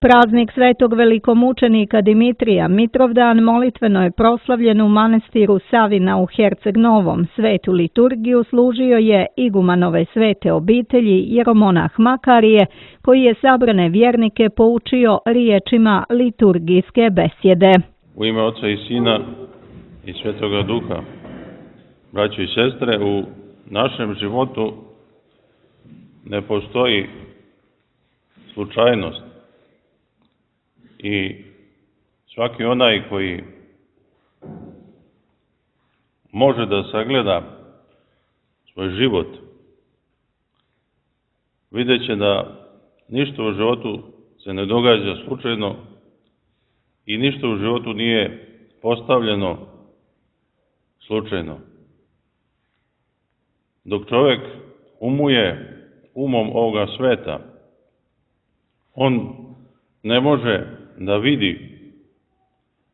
Praznik svetog velikomučenika Dimitrija Mitrovdan molitveno je proslavljen u manastiru Savina u Herceg Novom. Svetu liturgiju služio je igumanove svete obitelji jeromonah Makarije, koji je sabrane vjernike poučio riječima liturgijske besjede. U ime Oca i Sina i Svetoga Duha, braćo i sestre, u našem životu ne postoji slučajnost. I svaki onaj koji može da sagleda svoj život, vidjet će da ništa u životu se ne događa slučajno i ništa u životu nije postavljeno slučajno. Dok čovjek umuje umom ovoga sveta, on ne može da vidi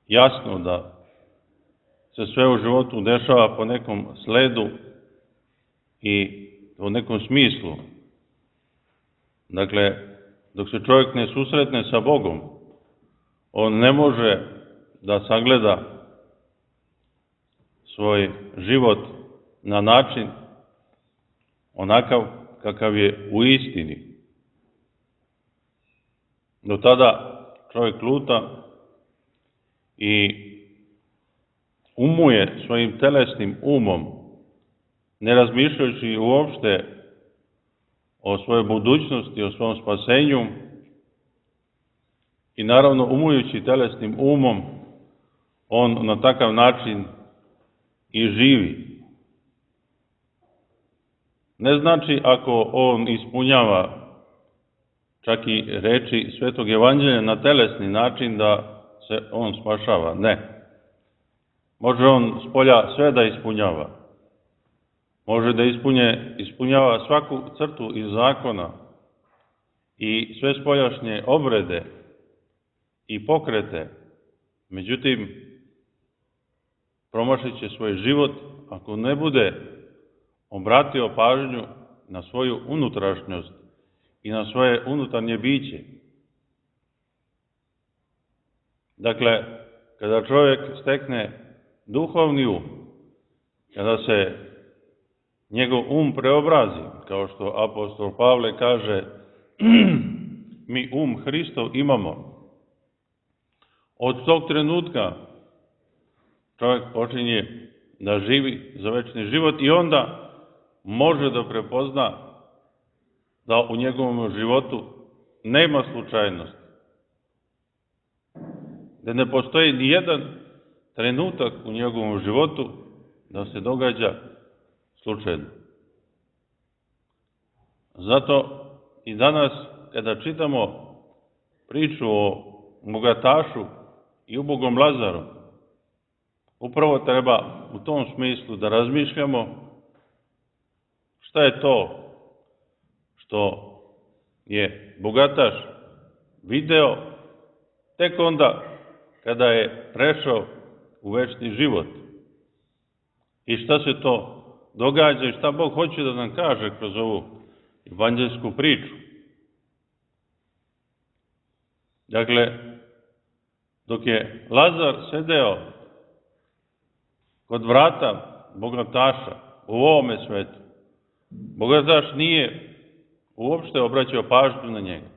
jasno da se sve u životu dešava po nekom sledu i u nekom smislu. Dakle, dok se čovjek ne susretne sa Bogom, on ne može da sagleda svoj život na način onakav kakav je u istini. Do tada čovjek luta i umuje svojim telesnim umom, ne razmišljajući uopšte o svojoj budućnosti, o svom spasenju i naravno umujući telesnim umom, on na takav način i živi. Ne znači ako on ispunjava čak i reči Svetog Evanđelja na telesni način da se on spašava. Ne. Može on spolja sve da ispunjava. Može da ispunjava svaku crtu iz zakona i sve spoljašnje obrede i pokrete. Međutim, promašit će svoj život ako ne bude obratio pažnju na svoju unutrašnjost i na svoje unutarnje biće. Dakle, kada čovjek stekne duhovni um, kada se njegov preobrazi, kao što apostol Pavle kaže, mi Hristov imamo. Od tog trenutka čovjek počinje da živi za večni život i onda može da prepozna da u njegovom životu nema slučajnosti. Da ne postoji ni jedan trenutak u njegovom životu da se događa slučajno. Zato i danas, kada čitamo priču o bogatašu i ubogom Lazaru, upravo treba u tom smislu da razmišljamo šta je to što je bogataš video tek onda kada je prešao u večni život. I šta se to događa i šta Bog hoće da nam kaže kroz ovu evanđelsku priču. Dakle, dok je Lazar sedeo kod vrata bogataša u ovome svetu, bogataš nije uopšte obraćao pažnju na njega.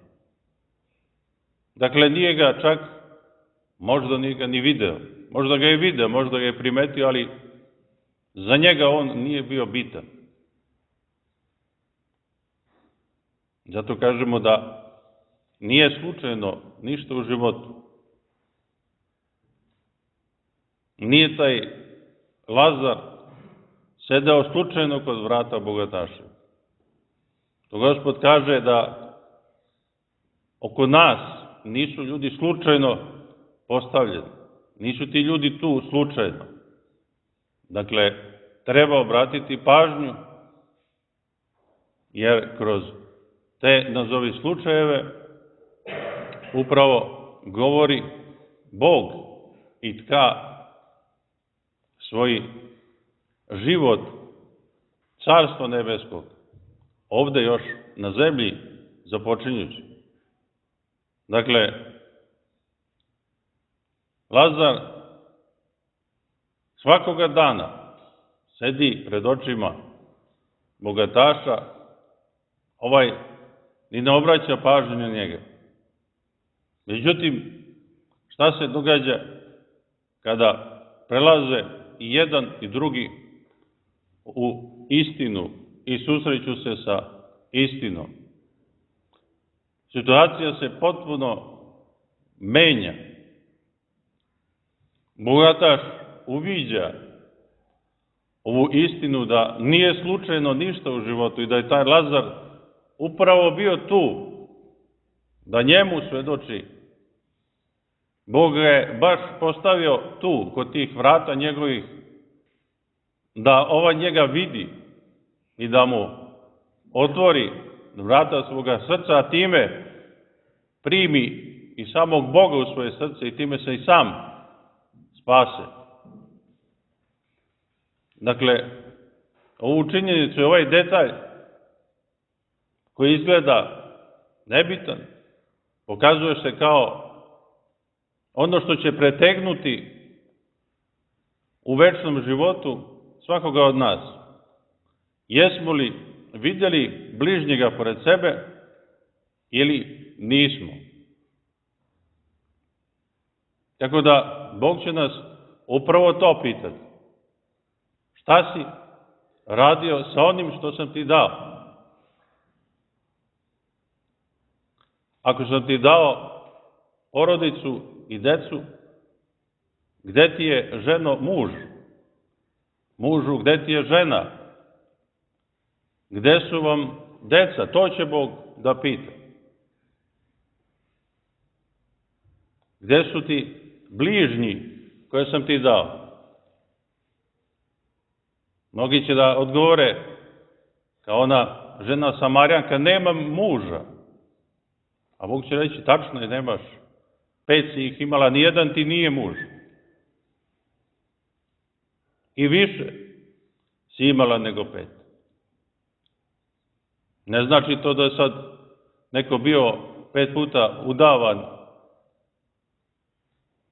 Dakle, nije ga čak, možda nije ga ni video. Možda ga je video, možda ga je primetio, ali za njega on nije bio bitan. Zato kažemo da nije slučajno ništa u životu. Nije taj Lazar sedeo slučajno kod vrata bogataša. To Gospod kaže da oko nas nisu ljudi slučajno postavljeni. Nisu ti ljudi tu slučajno. Dakle, treba obratiti pažnju, jer kroz te nazovi slučajeve upravo govori Bog i tka svoj život Carstva nebeskog ovde još na zemlji započinjući. Dakle, Lazar svakoga dana sedi pred očima bogataša, ovaj ni ne obraća pažnju na njega. Međutim, šta se događa kada prelaze i jedan i drugi u istinu i susreću se sa istinom? Situacija se potpuno menja. Bogataš uviđa ovu istinu da nije slučajno ništa u životu i da je taj Lazar upravo bio tu, da njemu svedoči. Bog ga je baš postavio tu, kod tih vrata njegovih, da ovaj njega vidi i da mu otvori vrata svoga srca, a time primi i samog Boga u svoje srce i time se i sam spase. Dakle, ovu činjenicu i ovaj detalj koji izgleda nebitan, pokazuje se kao ono što će pretegnuti u večnom životu svakoga od nas. Jesmo li vidjeli bližnjega pored sebe ili nismo? Tako da, Bog će nas upravo to pitati. Šta si radio sa onim što sam ti dao? Ako sam ti dao porodicu i decu, gde ti je, ženo, muž? Mužu, gde ti je žena? Gde su vam deca? To će Bog da pita. Gde su ti bližnji koje sam ti dao? Mnogi će da odgovore, kao ona žena Samarjanka, nemam muža. A Bog će reći, tačno je, nemaš. 5 si ih imala, nijedan ti nije muž. I više si imala nego 5. Ne znači to da je sad neko bio 5 puta udavan.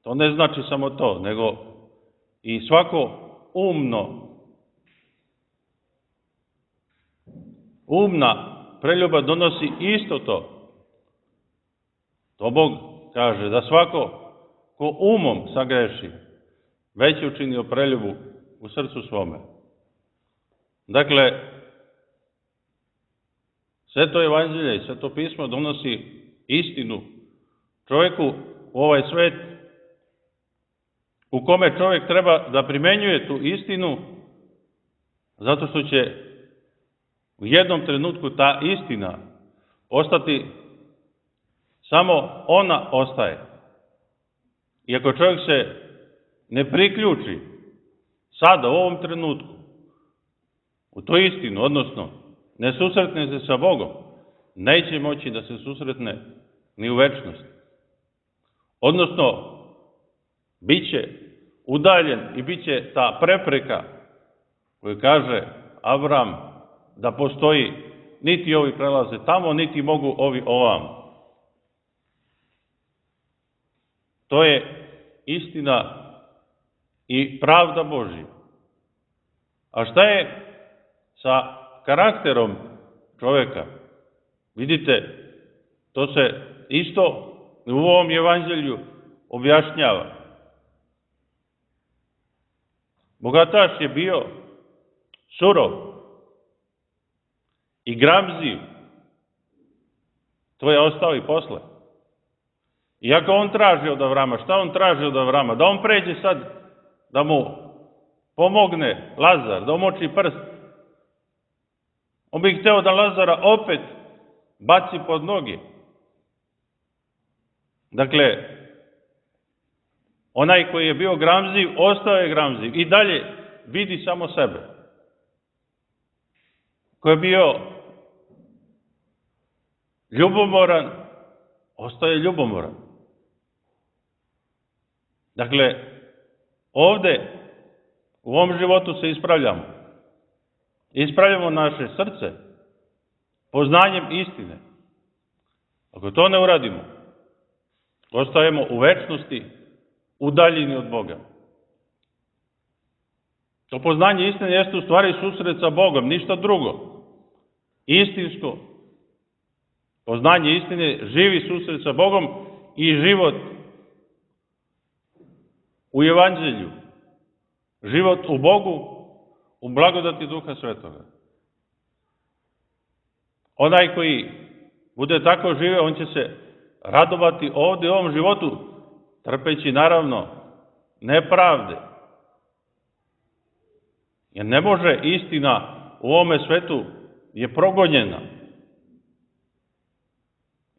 To ne znači samo to, nego i svako umna preljuba donosi isto to. To Bog kaže da svako ko umom sagreši, već je učinio preljubu u srcu svome. Dakle, Sveto evanđelje i Sveto pismo donosi istinu čovjeku u ovaj svet, u kome čovjek treba da primenjuje tu istinu, zato što će u jednom trenutku ta istina ostati, samo ona ostaje. I ako čovjek se ne priključi sada, u ovom trenutku, u tu istinu, odnosno ne susretne se sa Bogom, neće moći da se susretne ni u večnosti. Odnosno, bit će udaljen i bit će ta prepreka koju kaže Avram da postoji, niti ovi prelaze tamo, niti mogu ovi ovamo. To je istina i pravda Božja. A šta je sa karakterom čovjeka? Vidite, to se isto u ovom evanđelju objašnjava. Bogataš je bio surov i gramziv. To je ostao i posle. Iako on traži od Avrama, šta on traži od Avrama? Da on pređe sad, da mu pomogne Lazar, da umoči prst. On bi hteo da Lazara opet baci pod noge. Dakle, onaj koji je bio gramziv, ostao je gramziv i dalje vidi samo sebe. Ko je bio ljubomoran, ostaje ljubomoran. Dakle, ovde, u ovom životu se ispravljamo. Ispravljamo naše srce poznanjem istine. Ako to ne uradimo, Ostajemo u večnosti, udaljeni od Boga. To poznanje istine jeste u stvari susret sa Bogom, ništa drugo. Istinsko poznanje istine, živi susret sa Bogom i život u Evanđelju. Život u Bogu, u blagodati Duha Svetoga. Onaj koji bude tako živeo, on će se radovati ovdje u ovom životu, trpeći naravno nepravde. Jer ne može istina u ovome svetu je progonjena.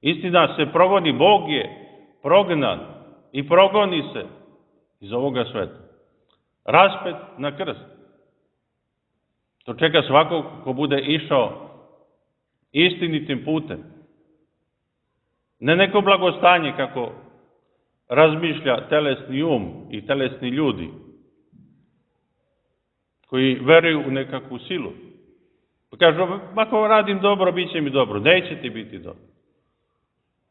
Istina se progoni, Bog je prognan i progoni se iz ovoga sveta. Raspet na krst. To čeka svakog ko bude išao istinitim putem. Ne neko blagostanje kako razmišlja telesni um i telesni ljudi koji veruju u nekakvu silu. Pa kažu, ako radim dobro, bit će mi dobro. Neće ti biti dobro.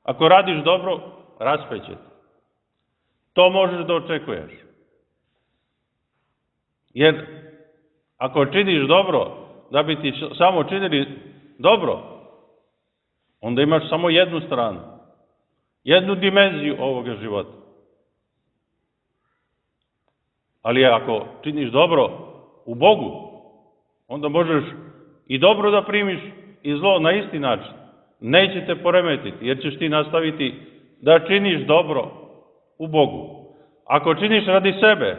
Ako radiš dobro, raspeće te. To možeš da očekuješ. Jer ako činiš dobro, da bi ti samo činili dobro, onda imaš samo jednu stranu, jednu dimenziju ovoga života. Ali ako činiš dobro u Bogu, onda možeš i dobro da primiš i zlo na isti način. Neće te poremetiti, jer ćeš ti nastaviti da činiš dobro u Bogu. Ako činiš radi sebe,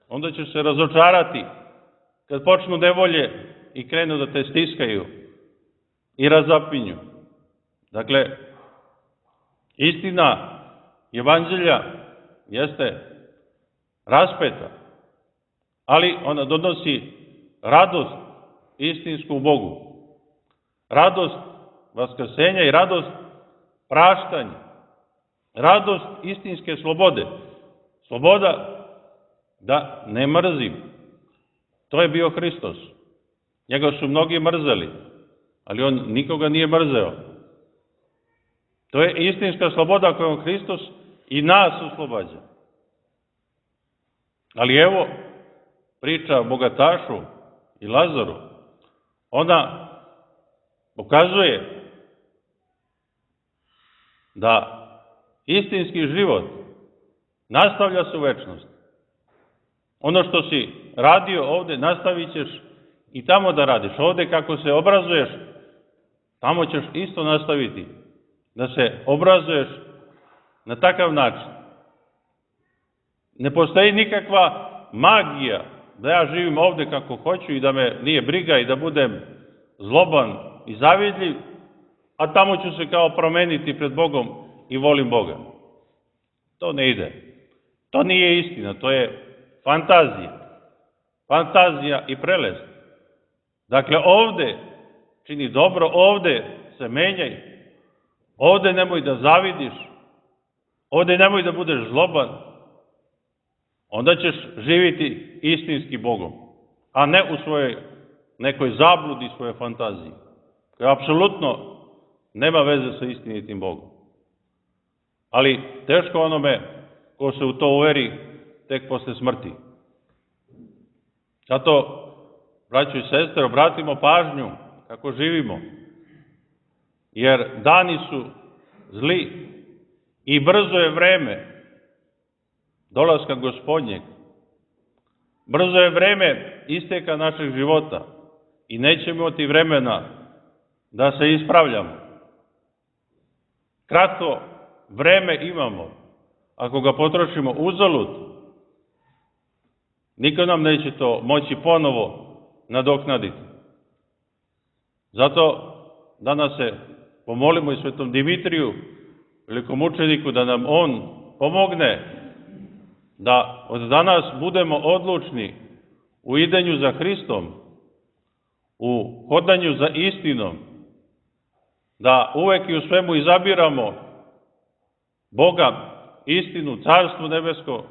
onda ćeš se razočarati kad počnu nevolje i krenu da te stiskaju i razapinju. Dakle, istina Evanđelja jeste raspeta, ali ona donosi radost istinsku u Bogu. Radost vaskrsenja i radost praštanja. Radost istinske slobode. Sloboda da ne mrzim. To je bio Hristos. Njega su mnogi mrzeli, ali on nikoga nije mrzeo. To je istinska sloboda kojom Hristos i nas oslobađa. Ali evo, priča o bogatašu i Lazaru, ona pokazuje da istinski život nastavlja se u večnosti. Ono što si radio ovde, nastavit ćeš i tamo da radiš. Ovde kako se obrazuješ, tamo ćeš isto nastaviti da se obrazuješ na takav način. Ne postoji nikakva magija da ja živim ovde kako hoću i da me nije briga i da budem zloban i zavidljiv, a tamo ću se kao promeniti pred Bogom i volim Boga. To ne ide. To nije istina, to je fantazija. Fantazija i prelest. Dakle, ovde čini dobro, ovde se menjaj, ovde nemoj da zavidiš, ovde nemoj da budeš zloban, onda ćeš živjeti istinski Bogom, a ne u svojoj nekoj zabludi, svojoj fantaziji, koja apsolutno nema veze sa istinitim Bogom. Ali teško onome ko se u to uveri tek posle smrti. Zato, braćo i sestre, obratimo pažnju kako živimo, jer dani su zli i brzo je vreme dolaska Gospodnjeg. Brzo je vreme isteka našeg života i nećemo imati vremena da se ispravljamo. Kratko vreme imamo. Ako ga potrošimo uzalud, niko nam neće to moći ponovo nadoknaditi. Zato danas se pomolimo i svetom Dimitriju, velikom mučeniku, da nam on pomogne da od danas budemo odlučni u idenju za Hristom, u hodanju za istinom, da uvek i u svemu izabiramo Boga, istinu, Carstvo nebesko,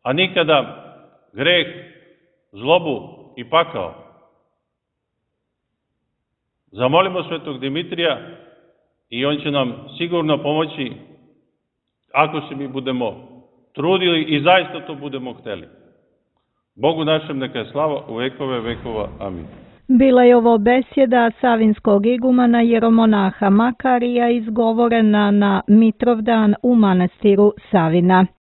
a nikada greh, zlobu i pakao. Zamolimo svetog Dimitrija i on će nam sigurno pomoći ako se mi budemo trudili i zaista to budemo hteli. Bogu našem neka je slava u vekove vekova. Amin. Bila je ovo besjeda savinskog igumana jeromonaha Makarija izgovorena na Mitrovdan u manastiru Savina.